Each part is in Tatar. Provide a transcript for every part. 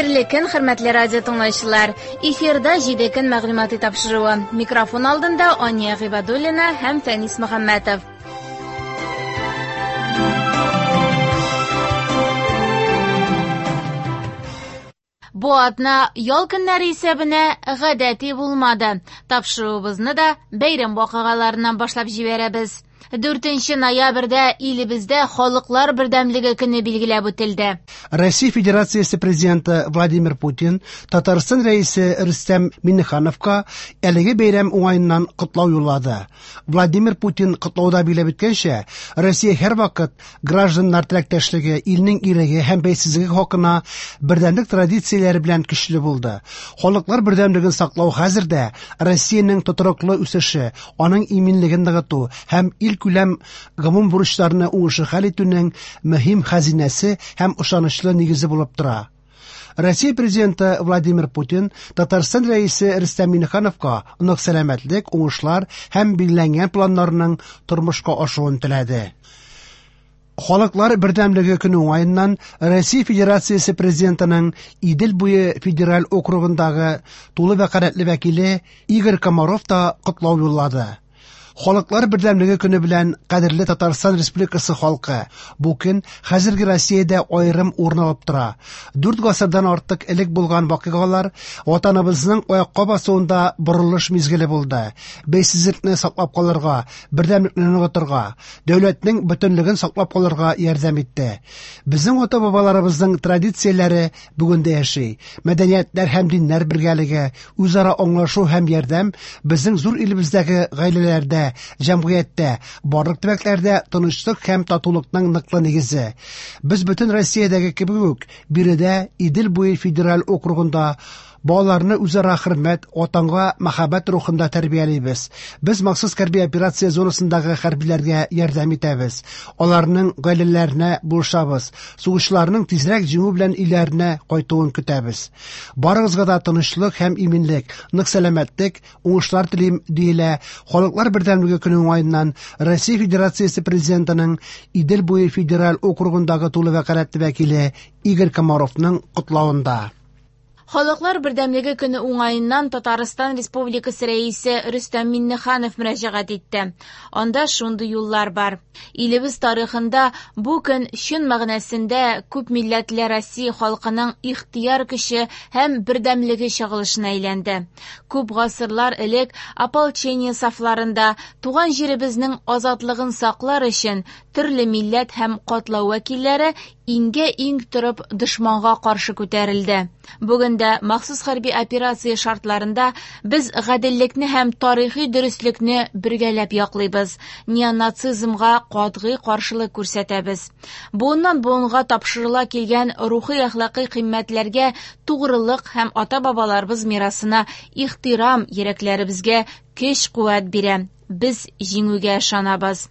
Хәерле көн, хөрмәтле радио тыңлаучылар. Эфирда 7 көн мәгълүмати тапшыруы. Микрофон алдында Ания Гыйбадуллина һәм Фәнис Мөхәммәтов. Бу атна ял көннәре исәбенә гадәти булмады. Тапшыруыбызны да бәйрәм вакыйгаларыннан башлап җибәрәбез. 4 ноябрьдә илебездә Халыклар бердәмлеге көне билгеләп үтелде. Россия Федерациясе президенты Владимир Путин Татарстан Рәисе Рөстәм Миңнехановка әлеге бәйрәм уңаеннан котлау юллады. Владимир Путин котлауда билгеләп үткәнчә, Россия һәрвакыт гражданнар теләктәшлеге, илнең иреге һәм бәйсезлеге хакына бердәмлек традицияләре белән көчле булды. Халыклар бердәмлеген саклау хәзер дә Россиянең тотрыклы үсеше, аның иминлеген ныгыту һәм илкүләм гомум бурычларны уңышлы хәл итүнең мөһим хәзинәсе һәм ышанычлы нигезе булып тора. Россия президенты Владимир Путин Татарстан Рәисе Рөстәм Миңнехановка нык сәламәтлек, уңышлар һәм билгеләнгән планнарының тормышка ашуын теләде. Халыклар бердәмлеге көне уңаеннан Россия Федерациясе президентының Идел буе федераль округындагы тулы вәкаләтле вәкиле Игорь Комаров та котлау юллады. Халыклар бердәмлеге көне белән кадерле Татарстан Республикасы халкы. Бу көн хәзерге Россиядә аерым урын алып тора. 4 гасырдан артык элек булган вакыйгалар ватаныбызның аякка басуында борылыш мизгеле булды. Бәйсезлекне саклап калырга, бердәмлекне ныгытырга, дәүләтнең бөтенлеген саклап калырга ярдәм итте. Безнең ата-бабаларыбызның традицияләре бүген дә яши. Мәдәниятләр һәм диннәр бергәлеге, үзара аңлашу һәм ярдәм безнең зур илебездәге гаиләләрдә, җәмгыятьтә, барлык төбәкләрдә тынычлык һәм татулыкның ныклы нигезе. Без бөтен Россиядәге кебек үк биредә Идел буе федераль округында балаларны үзара хөрмәт, ватанга мәхәббәт рухында тәрбиялибез. Без махсус хәрби операция зонасындагы хәрбиләргә ярдәм итәбез. Аларның гаиләләренә булышабыз. Сугышчыларның тизрәк җиңү белән өйләренә кайтуын көтәбез. Барыгызга да тынычлык һәм иминлек, нык сәламәтлек, уңышлар телим, диелә Халыклар бердәмлеге көне уңаеннан Россия Федерациясе президентының Идел буе федераль округындагы тулы вәкаләтле вәкиле Игорь Комаровның котлавында. Халыклар бердәмлеге көне уңаеннан Татарстан Республикасы Рәисе Рөстәм Миңнеханов мөрәҗәгать итте. Анда шундый юллар бар. Илебез тарихында бу көн чын мәгънәсендә күп милләтле Россия халкының ихтыяр көче һәм бердәмлеге чагылышына әйләнде. Күп гасырлар элек ополчение сафларында туган җиребезнең азатлыгын саклар өчен төрле милләт һәм катлау вәкилләре иңгә-иң торып дошманга каршы күтәрелде. Бүген дә махсус хәрби операция шартларында без гаделлекне һәм тарихи дөреслекне бергәләп яклыйбыз, неонацизмга катгый каршылык күрсәтәбез. Буыннан буынга тапшырыла килгән рухи әхлакый кыйммәтләргә тугрылык һәм ата-бабаларыбыз мирасына ихтирам йөрәкләребезгә көч-куәт бирә. Без җиңүгә ышанабыз.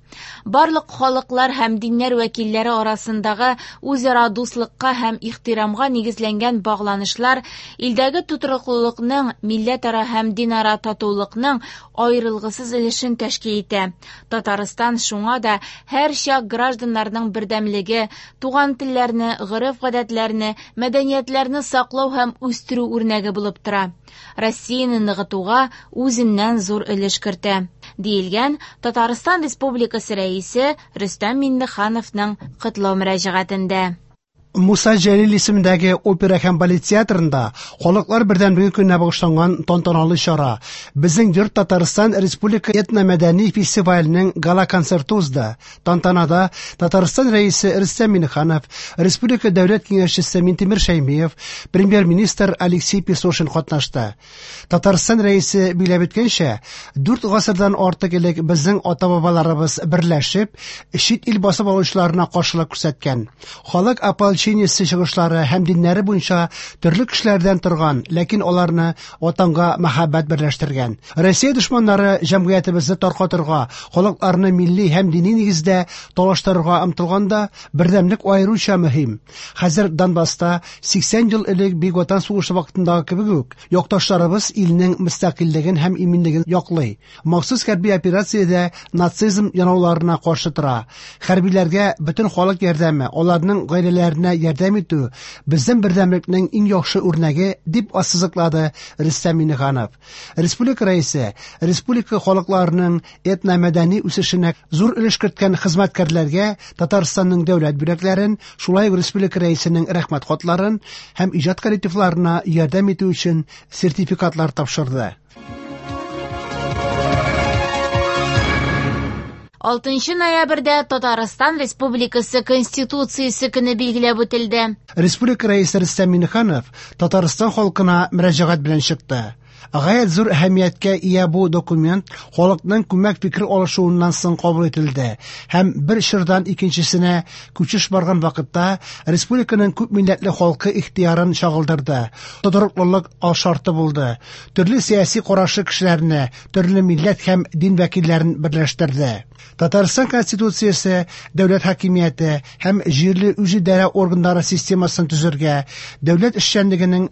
Барлык халыклар һәм диннәр вәкилләре арасындагы үзара дуслыкка һәм ихтирамга нигезләнгән багланышлар илдәге тотрыклылыкның, милләтара һәм динара татулыкның аерылгысыз өлешен тәшкил итә. Татарстан шуңа да һәрчак гражданнарның бердәмлеге, туган телләрне, гореф-гадәтләрне, мәдәниятләрне саклау һәм үстерү үрнәге булып тора. Россияне ныгытуга үзеннән зур өлеш кертә, диелгән Татарстан Республикасы Рәисе Рөстәм Миңнехановның котлау мөрәҗәгатендә. Муса Җәлил исемендәге опера һәм балет театрында Халыклар бердәмлеге көненә багышланган тантаналы чара Безнең йорт Татарстан Республика этномәдәни фестиваленең гала-концерты узды. Тантанада Татарстан Рәисе Рөстәм Миңнеханов, Республика Дәүләт Киңәшчесе Минтимер Шәймиев, премьер-министр Алексей Песошин катнашты. Татарстан Рәисе билгеләп үткәнчә, 4 гасырдан артык элек безнең ата-бабаларыбыз берләшеп, чит ил басып алучыларына каршылык күрсәткән. Халык ополчениесе чыгышлары һәм диннәре буенча төрле кешеләрдән торган, ләкин аларны ватанга мәхәббәт берләштергән. Россия дошманнары җәмгыятебезне таркатырга, халыкларны милли һәм дини нигездә талаштырырга омтылганда, бердәмлек аеруча мөһим. Хәзер Донбасста 80 ел элек Бөек Ватан сугышы вакытындагы кебек үк, якташларыбыз илнең мөстәкыйльлеген һәм иминлеген яклый. Махсус хәрби операциядә нацизм янауларына каршы тора. Хәрбиләргә бөтен халык ярдәме, аларның гаиләләренә үсешенә ярдәм итү безнең бердәмлекнең иң яхшы үрнәге, дип ассызыклады Рөстәм Миңнеханов. Республика Рәисе республика халыкларының этномәдәни үсешенә зур өлеш керткән хезмәткәрләргә Татарстанның дәүләт бүләкләрен, шулай ук республика Рәисенең рәхмәт хатларын һәм иҗат коллективларына ярдәм итү өчен сертификатлар тапшырды. 6 ноябрьдә Татарстан Республикасы Конституциясе көне билгеләп үтелде. Республика Рәисе Рөстәм Миңнеханов Татарстан халкына мөрәҗәгать белән чыкты. Гаять зур әһәмияткә ия бу документ халыкның күмәк фикер алышуыннан соң кабул ителде һәм бер чордан икенчесенә күчеш барган вакытта республиканың күп милләтле халкы ихтыярын чагылдырды, тотрыклылык алшарты булды, төрле сәяси карашлы кешеләрне, төрле милләт һәм дин вәкилләрен берләштерде. Татарстан Конституциясе дәүләт хакимияте һәм җирле үзидарә органнары системасын төзергә, дәүләт эшчәнлегенең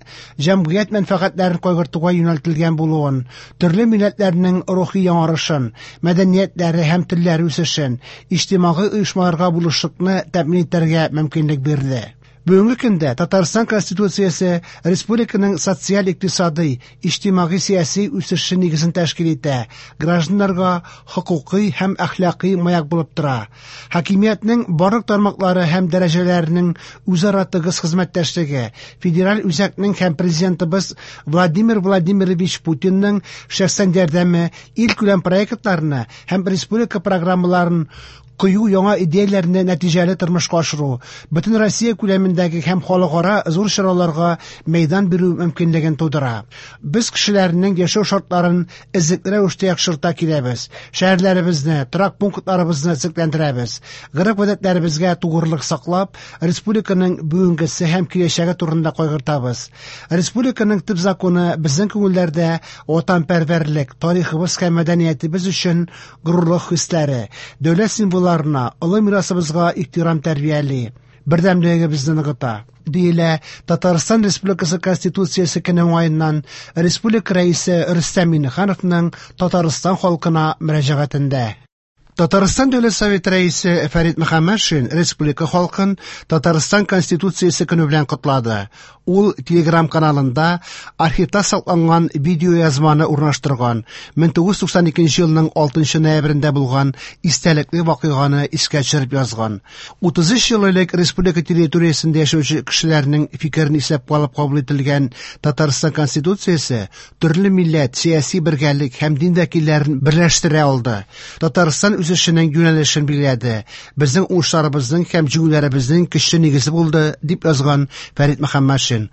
җәмгыять мәнфәгатьләрен кайгыртуга юнәлтелгән булуын, төрле милләтләрнең рухи яңарышын, мәдәниятләре һәм телләре үсешен, иҗтимагый оешмаларга булышлыкны тәэмин итәргә мөмкинлек бирде. Бүгенге көндә Татарстан Конституциясе республиканың социаль-икътисадый, иҗтимагый-сәяси үсеше нигезен тәшкил итә, гражданнарга хокукый һәм әхлакый маяк булып тора. Хакимиятнең барлык тармаклары һәм дәрәҗәләренең үзара тыгыз хезмәттәшлеге, федераль үзәкнең һәм президентыбыз Владимир Владимирович Путинның шәхсән ярдәме илкүләм проектларны һәм республика программаларын кыю яңа идеяләрне нәтиҗәле тормышка ашыру, бөтен Россия күләмендәге һәм халыкара зур чараларга мәйдан бирү мөмкинлеген тудыра. Без кешеләрнең яшәү шартларын эзлекле рәвештә яхшырта киләбез. Шәһәрләребезне, торак пунктларыбызны төзекләндерәбез. Гореф-гадәтләребезгә тугрылык саклап, республиканың бүгенгесе һәм киләчәге турында кайгыртабыз. Республиканың төп законы безнең күңелләрдә ватанпәрвәрлек, тарихыбыз һәм мәдәниятебез өчен горурлык хисләре, дәүләт символларына, олы мирасыбызга ихтирам тәрбияли, бердәмлегебезне ныгыта. Диелә Татарстан Республикасы Конституциясе көне уңаеннан Республика Рәисе Рөстәм Миңнехановның Татарстан халкына мөрәҗәгатендә. Татарстан Дәүләт Советы Рәисе Фәрит Мөхәммәтшин республика халкын Татарстан Конституциясе көне белән котлады. Ул Telegram каналында архивта сакланган видеоязманы урнаштырган. 1992 елның 6 ноябрендә булган истәлекле вакыйганы искә төшереп язган. 33 ел элек республика территориясендә яшәүче кешеләрнең фикерен исәпкә алып кабул ителгән Татарстан Конституциясе төрле милләт, сәяси бергәлек һәм дин вәкилләрен берләштерә алды. Татарстан үсешенең юнәлешен билгеләде. Безнең уңышларыбызның һәм җиңүләребезнең көчле нигезе булды, дип язган Фәрит Мөхәммәтшин.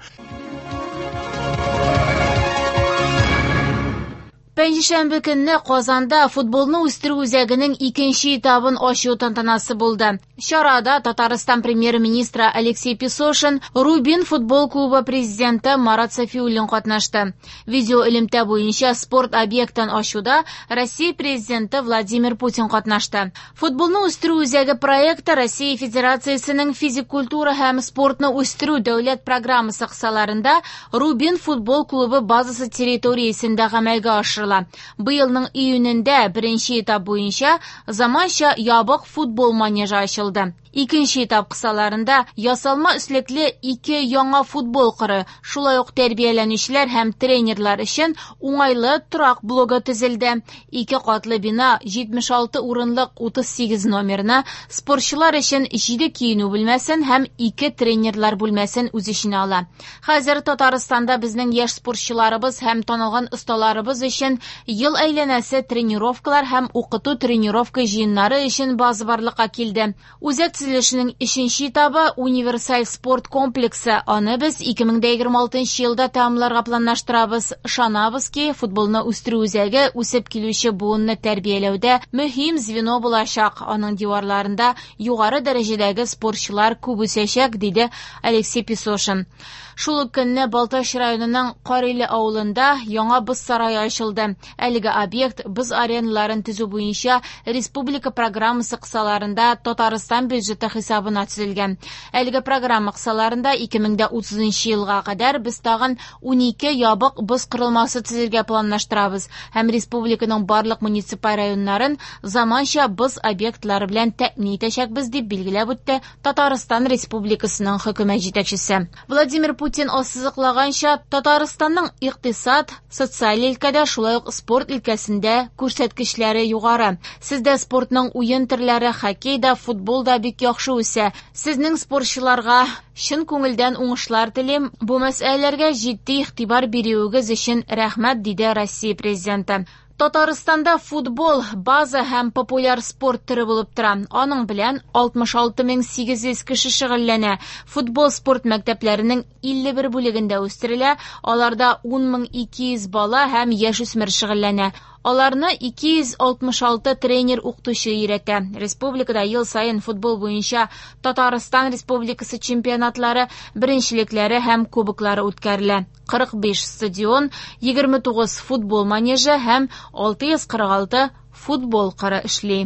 Пәнҗешәмбе көнне Казанда футболны үстерү үзәгенең икенче этабын ачу тантанасы булды. Чарада Татарстан премьер-министры Алексей Песошин, Рубин футбол клубы президенты Марат Сафиуллин катнашты. Видео элемтә буенча спорт объектын ачуда Россия президенты Владимир Путин катнашты. Футболны үстерү үзәге проекты Россия Федерациясенең физик культура һәм спортны үстерү дәүләт программасы кысаларында Рубин футбол клубы базасы территориясендә гамәлгә ашырыла. Быелның июнендә беренче этап буенча заманча ябык футбол манежы ачылды. Икенче этап кысаларында ясалма өслекле ике яңа футбол кыры, шулай ук тәрбияләнүчеләр һәм тренерлар өчен уңайлы торак блогы төзелде. Ике катлы бина 76 урынлык 38 номерны, спортчылар өчен 7 киенү бүлмәсен һәм 2 тренерлар бүлмәсен үз эченә ала. Хәзер Татарстанда безнең яшь спортчыларыбыз һәм танылган осталарыбыз өчен ел әйләнәсе тренировкалар һәм укыту тренировка җыеннары өчен база барлыкка килде. Үзәк төзелешенең өченче этабы универсаль спорт комплексы. Аны без 2026 елда тәмамларга планлаштырабыз. Ышанабыз ки, футболны үстерү үзәге үсеп килүче буынны тәрбияләүдә мөһим звено булачак. Аның диварларында югары дәрәҗәдәге спортчылар күп үсәчәк, диде Алексей Песошин. Шул ук көнне Балтач районының Кариле авылында яңа боз сарае ачылды. Әлеге объект боз ареналарын төзү буенча республика программасы кысаларында Татарстан бюджеты бюджеты хисабына төзелгән. Әлеге программа кысаларында 2030 елга кадәр без тагын 12 ябык боз корылмасы төзергә планлаштырабыз һәм республиканың барлык муниципаль районнарын заманча боз объектлары белән тәэмин итәчәкбез, дип билгеләп үтте Татарстан Республикасының хөкүмәт җитәкчесе. Владимир Путин ассызыклаганча, Татарстанның икътисад, социаль өлкәдә, шулай ук спорт өлкәсендә күрсәткечләре югары. Сездә спортның уен төрләре, хоккей да, футбол да бик яхшы үсә. Сезнең спортчыларга чын күңелдән уңышлар телим. Бу мәсьәләләргә җитди игътибар бирүегез өчен рәхмәт, диде Россия Президенты. Татарстанда футбол база һәм популяр спорт төре булып тора. Аның белән 66800 кеше шөгыльләнә. Футбол спорт мәктәпләренең 51 бүлегендә үстерелә. Аларда 10200 бала һәм яшүсмер шөгыльләнә. Аларны 266 тренер-укытучы өйрәтә. Республикада ел саен футбол буенча Татарстан Республикасы чемпионатлары, беренчелекләре һәм кубоклары үткәрелә. 45 стадион, 29 футбол манежы һәм 646 футбол кыры эшли.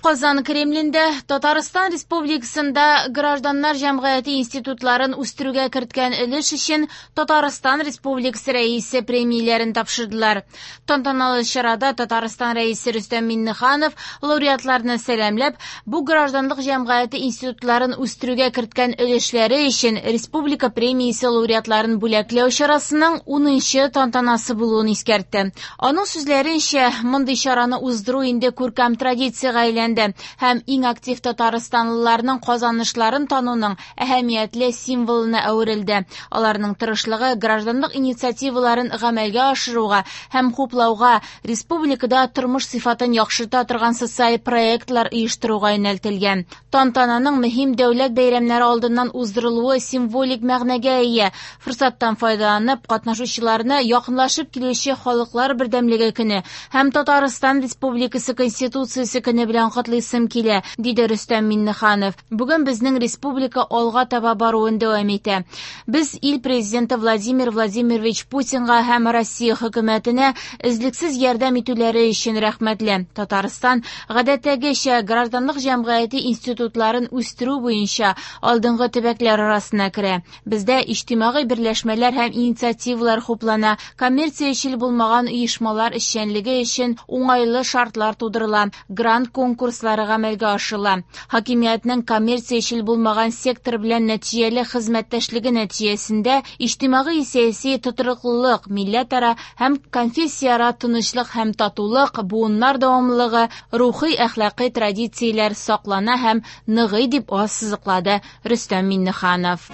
Казан Кремлендә Татарстан Республикасында гражданнар җәмгыяте институтларын үстерүгә керткән өлеш өчен Татарстан Республикасы Рәисе премияләрен тапшырдылар. Тантаналы чарада Татарстан Рәисе Рөстәм Миңнеханов лауреатларны сәламләп, бу гражданлык җәмгыяте институтларын үстерүгә керткән өлешләре өчен республика премиясе лауреатларын бүләкләү чарасының 10нчы тантанасы булуын искәртте. Аның сүзләренчә, мондый чараны уздыру инде күркәм традициягә әйләнде һәм иң актив татарстанлыларның казанышларын тануның әһәмиятле символына әверелде. Аларның тырышлыгы гражданлык инициативаларын гамәлгә ашыруга һәм хуплауга, республикада тормыш сыйфатын яхшырта торган социаль проектлар оештыруга юнәлтелгән. Тантананың мөһим дәүләт бәйрәмнәре алдыннан уздырылуы символик мәгънәгә ия. Форсаттан файдаланып, катнашучыларны якынлашып килүче Халыклар бердәмлеге көне һәм Татарстан Республикасы Конституциясе көне белән котлыйсым килә, диде Рөстәм Миңнеханов. Бүген безнең республика алга таба баруын дәвам итә. Без ил президенты Владимир Владимирович Путинга һәм Россия хөкүмәтенә өзлексез ярдәм итүләре өчен рәхмәтле. Татарстан гадәттәгечә гражданлык җәмгыяте институтларын үстерү буенча алдынгы төбәкләр арасына керә. Бездә иҗтимагый берләшмәләр һәм инициативалар хуплана, коммерциячел булмаган оешмалар эшчәнлеге өчен уңайлы шартлар тудырыла, грант конкурслары гамәлгә ашырыла. Хакимиятнең коммерциячел булмаган сектор белән нәтиҗәле хезмәттәшлеге нәтиҗәсендә иҗтимагый сәяси тотрыклылык, милләтара һәм конфессияара тынычлык һәм татулык, буыннар дәвамлылыгы, рухи әхлакый традицияләр саклана һәм ныгый, дип ассызыклады Рөстәм Миңнеханов.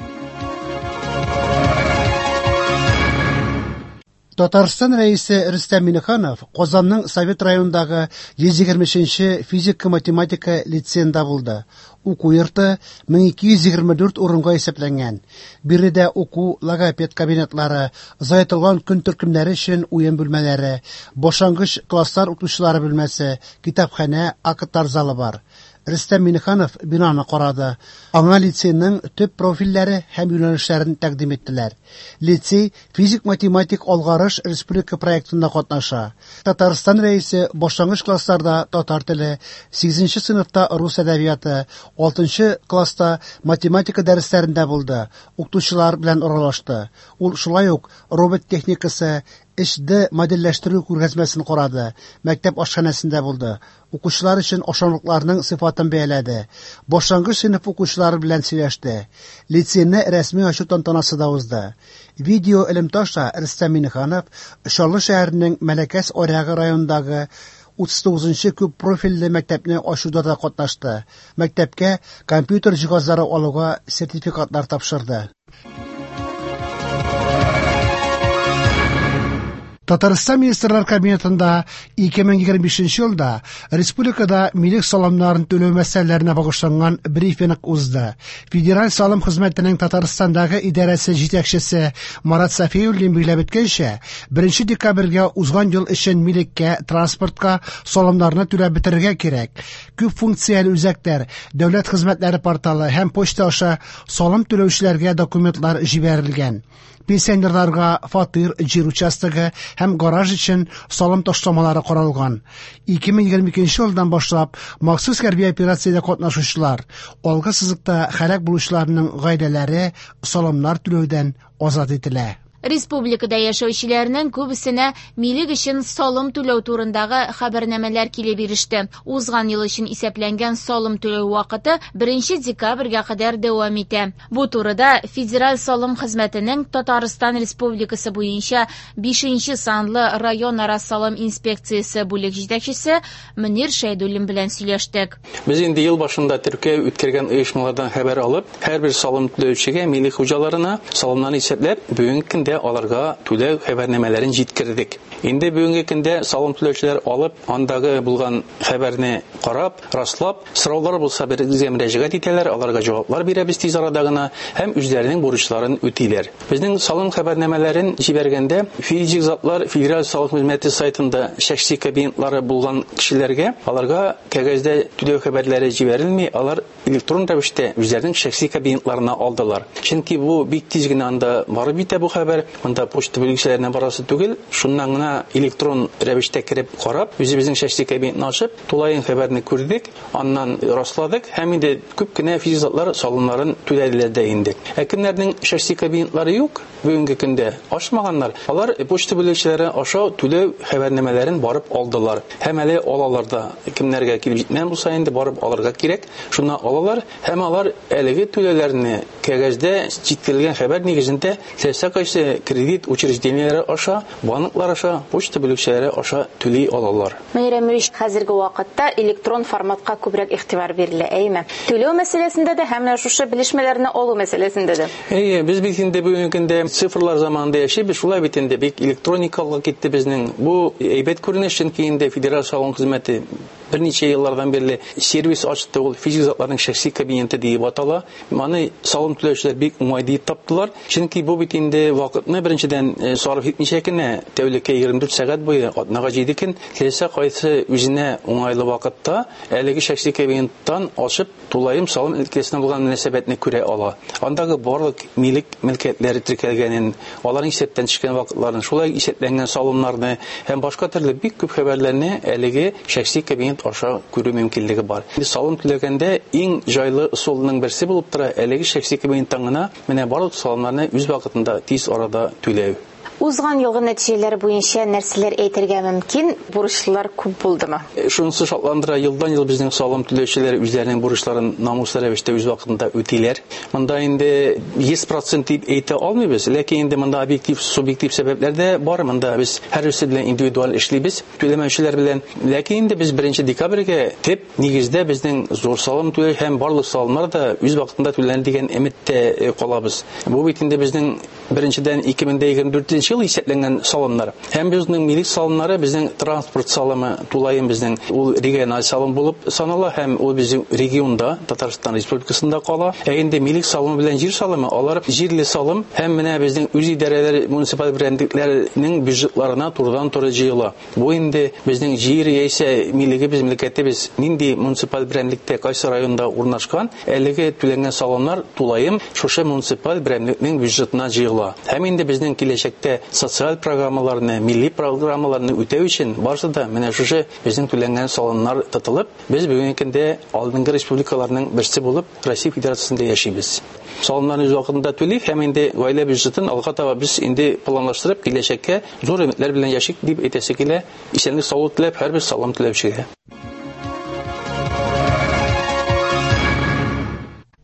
Татарстан Рәисе Рөстәм Миңнеханов Казанның Совет районындагы 123нче физика-математика лицеенда булды. Уку йорты 1224 урынга исәпләнгән. Биредә уку, логопед кабинетлары, озайтылган көн төркемнәре өчен уен бүлмәләре, башлангыч класслар укытучылары бүлмәсе, китапханә, актлар залы бар. Рөстәм Миңнеханов бинаны карады. Аңа лицейның төп профильләре һәм юнәлешләрен тәкъдим иттеләр. Лицей физик-математик алгарыш республика проектында катнаша. Татарстан Рәисе башлангыч классларда татар теле, 8нче сыйныфта рус әдәбияты, 6нчы класста математика дәресләрендә булды, укытучылар белән аралашты. Ул шулай ук робот техникасы, 3D модельләштерү күргәзмәсен карады, мәктәп ашханәсендә булды, укучылар өчен ашамлыкларның сыйфатын бәяләде, башлангыч сыйныф укучылары белән сөйләште. Лицейны рәсми ачу тантанасы да узды. Видео элемтә аша Рөстәм Миңнеханов Чаллы шәһәренең Мәләкәс Аръягы районындагы 39нчы күп профильле мәктәпне ачуда да катнашты. Мәктәпкә компьютер җиһазлары алуга сертификатлар тапшырды. Татарстан Министрлар Кабинетында 2025 елда республикада милек салымнарын түләү мәсьәләләренә багышланган брифинг узды. Федераль салым хезмәтенең Татарстандагы идарәсе җитәкчесе Марат Сафиуллин билгеләп үткәнчә, 1 декабрьгә узган ел өчен милеккә, транспортка салымнарны түләп бетерергә кирәк. Күп функцияле үзәкләр, дәүләт хезмәтләре порталы һәм почта аша салым түләүчеләргә документлар җибәрелгән. Пенсионерларга фатир, җир участогы һәм гараж өчен салым ташламалары каралган. 2022 елдан башлап махсус хәрби операциядә катнашучылар, алгы сызыкта һәлак булучыларның гаиләләре салымнар түләүдән азат ителә. Республикада яшәүчеләрнең күбесенә милек өчен салым түләү турындагы хәбәрнамәләр килеп иреште. Узган ел өчен исәпләнгән салым түләү вакыты 1 декабрьгә кадәр дәвам итә. Бу турыда Федераль салым хезмәтенең Татарстан Республикасы буенча 5 санлы районара салым инспекциясе бүлек җитәкчесе Мөнир Шәйдуллин белән сөйләштек. Без инде ел башында теркәү үткәргән оешмалардан хәбәр алып, һәрбер салым түләүчегә, милек хуҗаларына салымнарны исәпләп, бүгенге көндә аларга түләү хәбәрнамәләрен җиткердек. Инде бүгенге көндә салым түләүчеләр алып, андагы булган хәбәрне карап, раслап, сораулар булса безгә мөрәҗәгать итәләр, аларга җаваплар бирәбез тиз арада гына һәм үзләренең бурычларын үтиләр. Безнең салым хәбәрнамәләрен җибәргәндә физик затлар Федераль салым хезмәте сайтында шәхси кабинетлары булган кешеләргә, аларга кәгазьдә түләү хәбәрләре җибәрелми, алар электрон рәвештә үзләренең шәхси кабинетларына алдылар. Чөнки бу бик тиз генә анда барып җитә бу хәбәр, монда почта бүлекчәләренә барасы түгел, шуннан гына электрон рәвештә кереп карап, үзебезнең шәхси кабинетны ачып, тулаем хәбәрне күрдек, аннан расладык һәм инде күп кенә физик затлар салымнарын түләделәр дә инде. Ә кемнәрнең шәхси кабинетлары юк, бүгенге көндә ачмаганнар, алар почта бүлекчәләре аша түләү хәбәрнамәләрен барып алдылар. Һәм әле алалар да, кемнәргә килеп җитмәгән булса инде барып алырга кирәк, шуннан алалар һәм алар әлеге түләүләрне кәгазьдә җиткерелгән хәбәр нигезендә теләсә кайсы кредит учреждениеләре аша, банклар аша, почта бүлекчәләре аша түли алалар. Мөнир Әмирович, хәзерге вакытта электрон форматка күбрәк игътибар бирелә, әйеме? Түләү мәсьәләсендә дә һәм менә шушы белешмәләрне алу мәсьәләсендә дә. Әйе, без бит инде бүгенге көндә цифрлар заманында яшибез, шулай бит инде бик электроникалык китте безнең. Бу әйбәт күренеш, чөнки инде Федераль салым хезмәте берничә еллардан бирле сервис ачты, ул физик затларның шәхси кабинеты диеп атала. Моны салым түләүчеләр бик уңай диеп таптылар, чөнки бу бит инде вакытны беренчедән сарыф итмичә генә тәүлеккә 24 сәгать буе, атнага 7 көн, теләсә кайсы үзенә уңайлы вакытта әлеге шәхси кабинеттан ачып тулаем салым өлкәсенә булган мөнәсәбәтне күрә ала. Андагы барлык милек мөлкәтләре теркәлгәнен, аларның исәптән төшкән вакытларын, шулай исәпләнгән салымнарны һәм башка төрле бик күп хәбәрләрне әлеге шәхси кабинет аша күрү мөмкинлеге бар. Инде салым түләгәндә иң җайлы ысулның берсе булып тора әлеге шәхси кабинеттан гына менә барлык салымнарны үз вакытында тиз арада түләү. Узган елгы нәтиҗәләр буенча нәрсәләр әйтергә мөмкин? Бурычлар күп булдымы? Шунысы шатландыра, елдан ел безнең салым түләүчеләр үзләренең бурычларын намуслы рәвештә үз вакытында үтиләр. Монда инде 100% дип әйтә алмыйбыз, ләкин инде монда объектив, субъектив сәбәпләр дә бар. Монда без һәрберсе белән индивидуаль эшлибез, түләмәүчеләр белән. Ләкин инде без 1 декабрьгә төп нигездә безнең зур салым түләү һәм барлык салымнар да үз вакытында түләнер дигән өметтә калабыз. Бу бит инде безнең беренчедән 2024 ел исәпләнгән салымнар. Һәм безнең милек салымнары, безнең транспорт салымы тулаем безнең ул региональ салым булып санала һәм ул безнең регионда, Татарстан Республикасында кала. Ә инде милек салымы белән җир салымы, алар җирле салым һәм менә безнең үз идарәләр, муниципаль берәмлекләрнең бюджетларына турыдан-туры җыела. Бу инде безнең җир яисә милегебез, мөлкәтебез нинди муниципаль берәмлектә, кайсы районда урнашкан, әлеге түләнгән салымнар тулаем шушы муниципаль берәмлекнең бюджетына җыела. Һәм инде безнең киләчәктә социаль программаларны, милли программаларны үтәү өчен барысы да менә шушы безнең түләнгән салымнар тотылып, без бүгенге көндә алдынгы республикаларның берсе булып Россия Федерациясендә яшибез. Салымнарны үз вакытында түлик һәм инде гаилә бюджетын алга таба без инде планлаштырып киләчәккә зур өметләр белән яшик дип әйтәсе килә. Исәнлек саулык теләп һәрбер салым түләүчегә.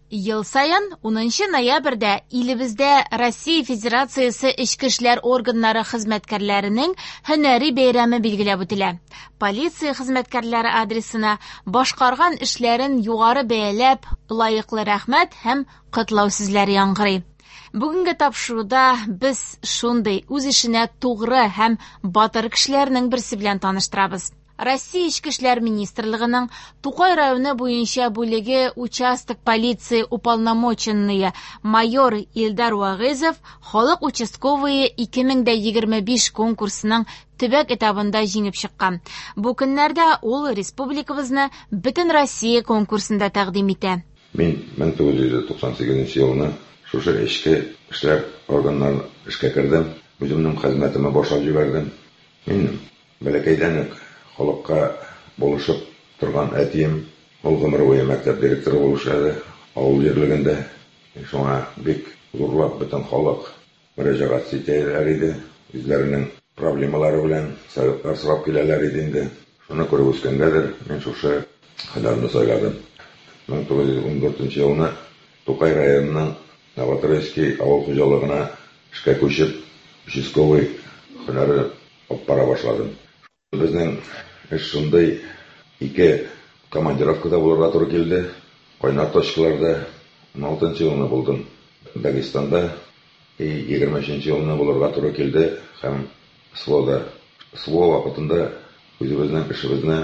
Ел саен 10 ноябрьдә илебездә Россия Федерациясе Эчке эшләр органнары хезмәткәрләренең һөнәри бәйрәме билгеләп үтелә. Полиция хезмәткәрләре адресына башкарган эшләрен югары бәяләп, лаеклы рәхмәт һәм котлау сүзләре яңгырый. Бүгенге тапшыруда без шундый үз эшенә тугры һәм батыр кешеләрнең берсе белән таныштырабыз. Россия Эчке эшләр министрлыгының Тукай районы буенча бүлеге участок полиции уполномоченные майор Илдар Вагызов халык участковые 2025 конкурсының төбәк этабында җиңеп чыккан. Бу көннәрдә ул республикабызны бөтен Россия конкурсында тәкъдим итә. Мин 1998 елны шушы эчке эшләр органнарына эшкә кердем. Үземнең хезмәтемне башлап җибәрдем. Мин бәләкәйдән үк халыкка булышып торган әтием, ул гомер буе мәктәп директоры булып эшләде авыл җирлегендә. Шуңа бик зурлап бөтен халык мөрәҗәгать итәләр иде. Үзләренең проблемалары белән советлар сорап киләләр иде инде. Шуны күреп үскәнгәдер, мин шушы һөнәрне сайладым. 1914 елны Тукай районының Новотроицкий авыл хуҗалыгына эшкә күчеп, участковый һөнәре алып бара башладым. Безнең эш шундый, ике командировкада булырга туры килде. Кайнар точкаларда 16 елны булдым Дагестанда, и 23 елны булырга туры килде һәм СВОда. СВО вакытында үзебезнең эшебезне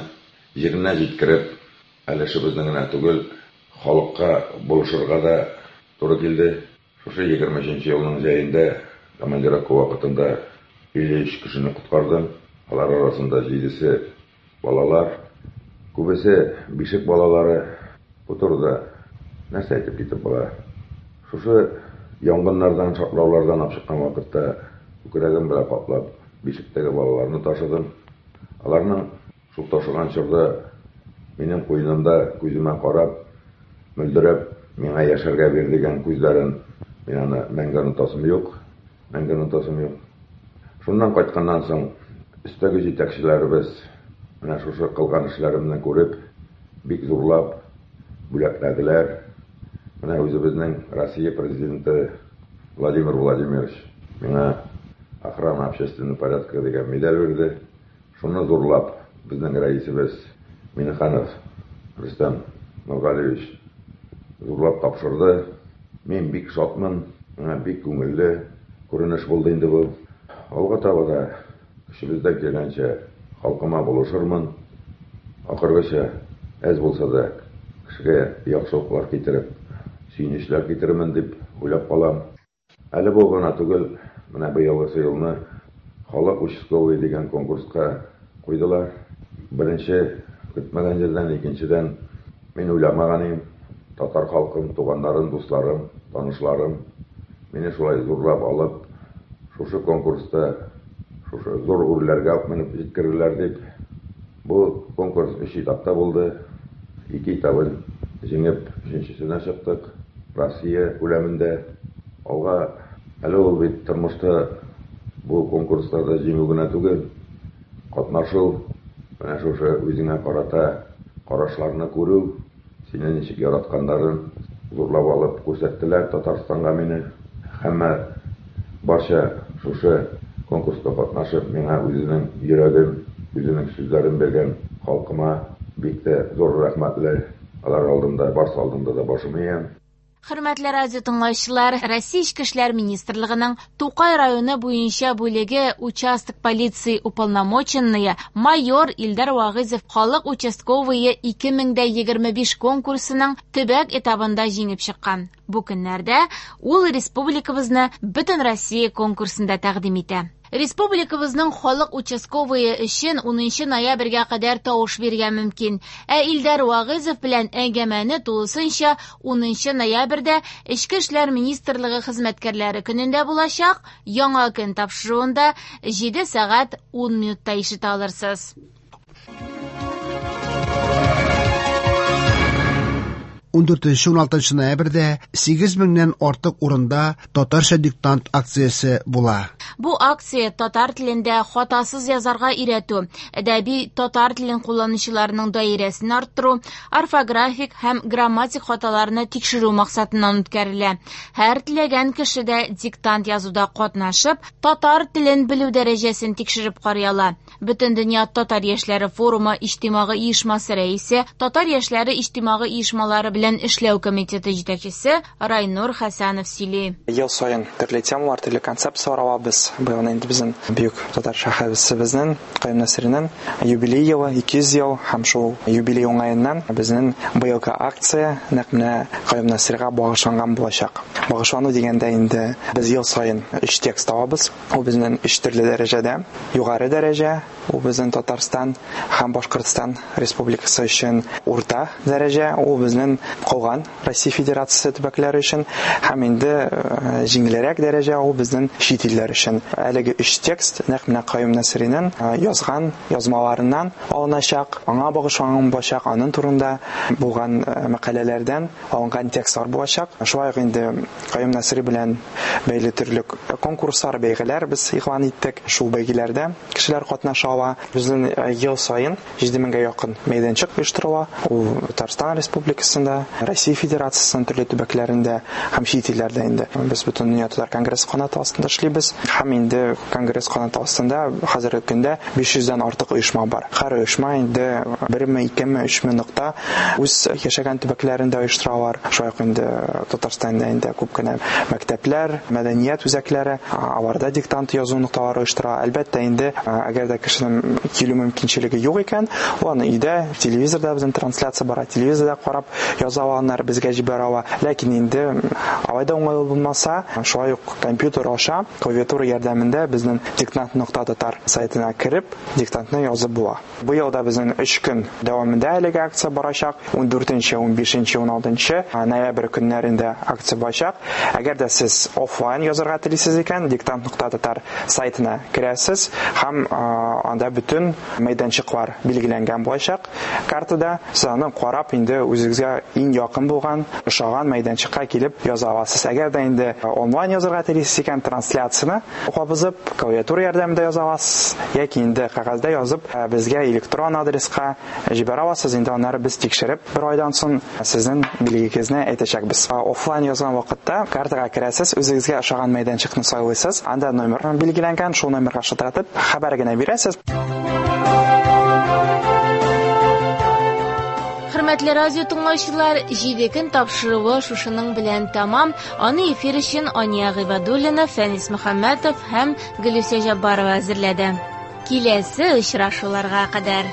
җиренә җиткереп, әле эшебезне генә түгел, халыкка булышырга да туры килде. Шушы 23 елның җәендә командировка вакытында 53 кешене коткардым. Алар арасында 7-се балалар, күбесе бишек балалары. Бу турыда нәрсә әйтеп китеп була? Шушы янгыннардан, шартлаулардан алып чыккан вакытта күкрәгем белән каплап бишектәге балаларны ташыдым. Аларның шул ташыган чорда минем куенымда күземә карап, мөлдерәп, миңа яшәргә бир дигән күзләрен мин аны мәңге онытасым юк, мәңге онытасым юк. Шуннан кайтканнан соң өстәге җитәкчеләребез менә шушы кылган эшләремне күреп, бик зурлап бүләкләделәр. Менә үзебезнең Россия президенты Владимир Владимирович миңа охрана общественного порядка дигән медаль бирде. Шуны зурлап безнең рәисебез Миннеханов Рөстәм Нургалиевич зурлап тапшырды. Мин бик шатмын, миңа бик күңелле күренеш булды инде бу. Алга таба да көчебездән килгәнчә халкыма булышырмын. Ахыргыча әз булса да кешегә яхшылыклар китереп, сөенечләр китерермен дип уйлап калам. Әле бу гына түгел, менә быелгысы елны халык участковый дигән конкурска куйдылар. Беренче көтмәгән җирдән, икенчедән мин уйламаган идем. Татар халкым, туганнарым, дусларым, танышларым мине шулай зурлап алып, шушы конкурста шушы зур үрләргә алып менеп җиткерделәр дип. Бу конкурс 3 этапта булды. 2 этабын җиңеп, өченчесенә чыктык. Россия күләмендә алга. Әле ул бит тормышта бу конкурсларда җиңү генә түгел, катнашу, менә шушы үзеңә карата карашларны күрү, сине ничек яратканнарын зурлап алып күрсәттеләр Татарстанга мине. Һәммә барча шушы конкурста катнашып, миңа үзенең йөрәген, үзенең сүзләрен биргән халкыма бик тә зур рәхмәтле. Алар алдында, барсы алдында да башым иям. Хөрмәтле радио тыңлаучылар, Россия Эчке эшләр министрлыгының Тукай районы буенча бүлеге участок полиции уполномоченные майор Илдар Вагызов халык участковые 2025 конкурсының төбәк этабында җиңеп чыккан. Бу көннәрдә ул республикабызны бөтен Россия конкурсында тәкъдим итә. Республикабызның халык участковые өчен 10 ноябрьгә кадәр тавыш бирергә мөмкин. Ә Илдар Вагызов белән әңгәмәне тулысынча 10 ноябрьдә Эчке эшләр министрлыгы хезмәткәрләре көнендә булачак Яңа көн тапшыруында 7 сәгать 10 минутта ишетә алырсыз. 14-16 ноябрьдә 8000-нән артык урында татарча диктант акциясе була. Бу акция татар телендә хатасыз язарга өйрәтү, әдәби татар телен кулланучыларның даирәсен арттыру, орфографик һәм грамматик хаталарны тикшерү максатыннан үткәрелә. Һәр теләгән кеше дә диктант язуда катнашып, татар телен белү дәрәҗәсен тикшереп карый ала. Бөтендөнья татар яшьләре форумы иҗтимагый оешмасы рәисе, татар яшьләре иҗтимагый оешмалары белән эшләү комитеты җитәкчесе Райнур Хәсәнов сөйли. Ел саен төрле темалар, төрле концепциялар алабыз. Быел инде безнең бөек татар шәхесебезнең Каюм Насыйриның юбилей елы, 200 ел, һәм шул юбилей уңаеннан безнең быелгы акция нәкъ менә Каюм Насыйрига багышланган булачак. Багышлану дигәндә инде без ел саен 3 текст алабыз. Ул безнең 3 төрле дәрәҗәдә. Югары дәрәҗә, ул безнең Татарстан һәм Башкортстан Республикасы өчен урта дәрәҗә, ул безнең калган Россия Федерациясе төбәкләре өчен һәм инде җиңелрәк дәрәҗә ул безнең чит илләр өчен. Әлеге өч текст нәкъ менә Каюм Насыйриның язган язмаларыннан алыначак, аңа багышланган булачак, аның турында булган мәкаләләрдән алынган текстлар булачак. Шулай ук инде Каюм Насыйри белән бәйле төрле конкурслар, бәйгеләр без игълан иттек. Шул бәйгеләрдә кешеләр катнаша ала. Безнең ел саен 7000гә якын мәйданчык оештырыла. Ул Татарстан Республикасында, Россия Федерациясенең төрле төбәкләрендә һәм чит илләрдә инде. Без Бөтендөнья татар конгрессы канаты астында эшлибез. Һәм инде конгресс канаты астында хәзерге көндә 500дән артык оешма бар. Һәр оешма инде берме, икеме, өчме нокта үз яшәгән төбәкләрендә оештыралар. Шулай ук инде Татарстанда инде күп кенә мәктәпләр, мәдәният үзәкләре, аларда диктант язу нокталары оештыра. Әлбәттә инде, әгәр дә кешенең килү мөмкинчелеге юк икән, ул аны өйдә, телевизорда безнең трансляция бара, телевизорда карап яза ала, аннары безгә җибәрә ала. Ләкин инде алай да уңайлы булмаса, шулай ук компьютер аша, клавиатура ярдәмендә безнең диктант.татар сайтына кереп, диктантны язып була. Быел да безнең 3 көн дәвамында әлеге акция барачак. 14, 15, 16 ноябрь көннәрендә акция барачак. Әгәр дә сез офлайн язарга телисез икән, диктант.татар сайтына керәсез һәм анда бөтен мәйданчыклар билгеләнгән булачак. Картада сез аны карап инде үзегезгә иң якын булган, ошаган мәйданчыкка килеп яза аласыз. Әгәр дә инде онлайн язарга телисез икән, трансляцияне кабызып, клавиатура ярдәмендә яза аласыз, яки инде кәгазьдә язып, безгә электрон адреска җибәрә аласыз. Инде аннары без тикшереп, бер айдан соң сезнең билгегезне әйтәчәкбез. Офлайн язган вакытта картага керәсез, үзегезгә ошаган мәйданчыкны сайлыйсыз, анда номер билгеләнгән, шул номерга шалтыратып, хәбәр генә бирәсез. Хөрмәтле радио тыңлаучылар, 7 көн тапшыруы шушының белән тәмам. Аны эфир өчен Ания Гыйбадуллина, Фәнис Мөхәммәтов һәм Гөлүсә Җаббарова әзерләде. Киләсе очрашуларга кадәр.